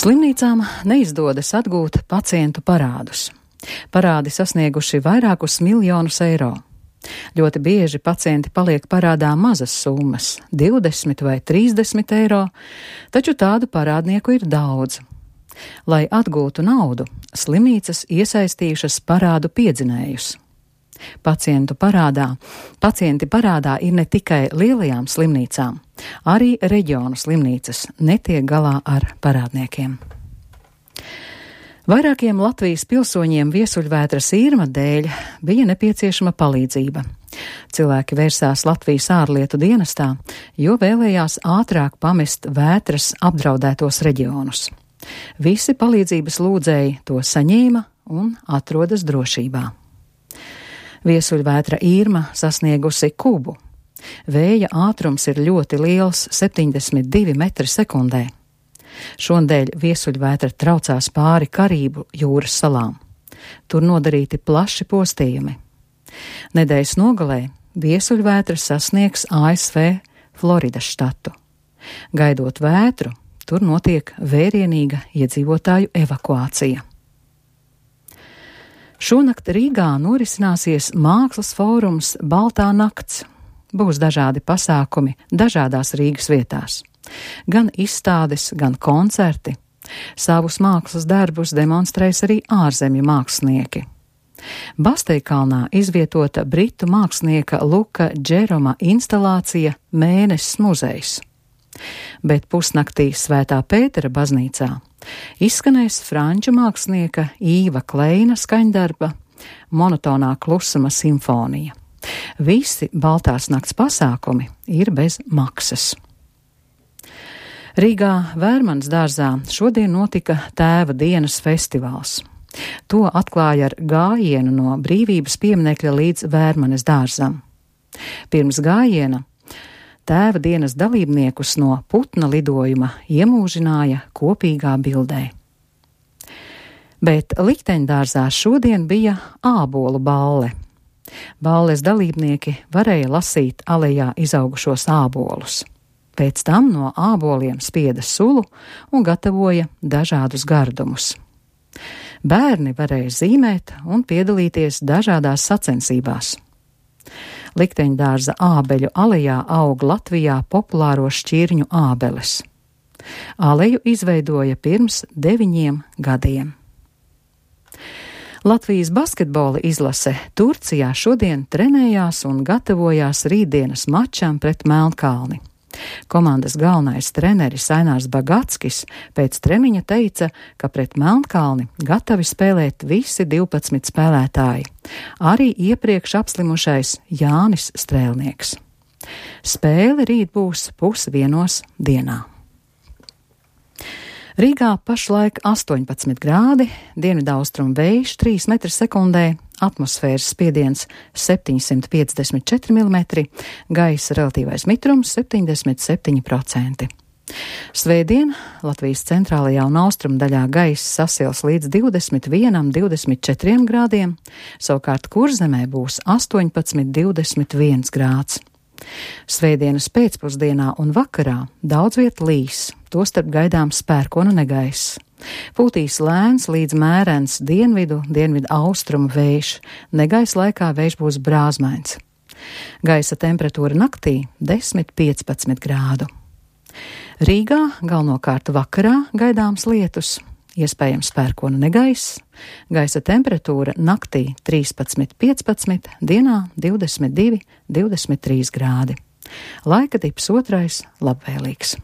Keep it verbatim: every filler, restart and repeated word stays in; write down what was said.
Slimnīcām neizdodas atgūt pacientu parādus. Parādi sasnieguši vairākus miljonus eiro. Ļoti bieži pacienti paliek parādā mazas summas – divdesmit vai trīsdesmit eiro, taču tādu parādnieku ir daudz. Lai atgūtu naudu, slimnīcas iesaistījušas parādu piedzinējus. Pacientu parādā, pacienti parādā ir ne tikai lielajām slimnīcām, arī reģionu slimnīcas netiek galā ar parādniekiem. Vairākiem Latvijas pilsoņiem viesuļvētras Irma dēļ bija nepieciešama palīdzība. Cilvēki vērsās Latvijas ārlietu dienestā, jo vēlējās ātrāk pamest vētras apdraudētos reģionus. Visi palīdzības lūdzēji to saņēma un atrodas drošībā. Viesuļvētra Irma sasniegusi Kubu. Vēja ātrums ir ļoti liels – septiņdesmit divi metri sekundē. Šonadēļ viesuļvētra traucās pāri Karību jūras salām. Tur nodarīti plaši postījumi. Nedēļas nogalē viesuļvētra sasniegs A S V Floridas štatu. Gaidot vētru, tur notiek vērienīga iedzīvotāju evakuācija. Šonakt Rīgā norisināsies mākslas fórums Baltā nakts. Būs dažādi pasākumi dažādās Rīgas vietās. Gan izstādes, gan koncerti. Savus mākslas darbus demonstrēs arī ārzemju mākslinieki. Basteikalnā izvietota britu mākslinieka Luka Džeroma instalācija Mēnesis muzejs. Bet pusnaktī Svētā Pētera baznīcā izskanēs franču mākslinieka Īva Kleina skaņdarba Monotonā klusuma simfonija. Visi Baltās nakts pasākumi ir bez maksas. Rīgā Vērmanas dārzā šodien notika Tēva dienas festivāls. To atklāja ar gājienu no Brīvības pieminekļa līdz Vērmanas dārzam. Pirms gājiena Tēva dienas dalībniekus no putna lidojuma iemūžināja kopīgā bildē. Bet likteņdārzā šodien bija ābolu balle. Balles dalībnieki varēja lasīt alejā izaugušos ābolus. Pēc tam no āboliem spieda sulu un gatavoja dažādus gardumus. Bērni varēja zīmēt un piedalīties dažādās sacensībās. Likteņdārza ābeļu alejā aug Latvijā populāro šķirņu ābeles. Aleju izveidoja pirms deviņiem gadiem. Latvijas basketbola izlase Turcijā šodien trenējās un gatavojās rītdienas mačam pret Melnkalni. Komandas galvenais treneris Ainārs Bagatskis pēc treniņa teica, ka pret Melnkalni gatavi spēlēt visi divpadsmit spēlētāji, arī iepriekš apslimušais Jānis Strēlnieks. Spēle rīt būs pusvienos dienā. Rīgā pašlaik astoņpadsmit grādi, dienvidaustrumu vējš trīs metri sekundē, atmosfēras spiediens septiņsimt piecdesmit četri milimetri, gaisa relatīvais mitrums septiņdesmit septiņi procenti. Svētdien Latvijas centrālajā un austrumu daļā gaisa sasils līdz divdesmit vienam, divdesmit četriem grādiem, savukārt Kurzemē būs astoņpadsmit, divdesmit viens grāds. Svētdienas pēcpusdienā un vakarā daudz viet līs, tostarp gaidāms pērkona negaiss. Pūtīs lēns līdz mērens dienvidu, dienvidu austrumu vējš, negaisa laikā vējš būs brāzmains. Gaisa temperatūra naktī desmit līdz piecpadsmit grādu. Rīgā galvenokārt vakarā gaidāms lietus, iespējams pērkona negaiss, gaisa temperatūra naktī trīspadsmit līdz piecpadsmit, dienā divdesmit divi līdz divdesmit trīs grādi. Laika tips otrais labvēlīgs.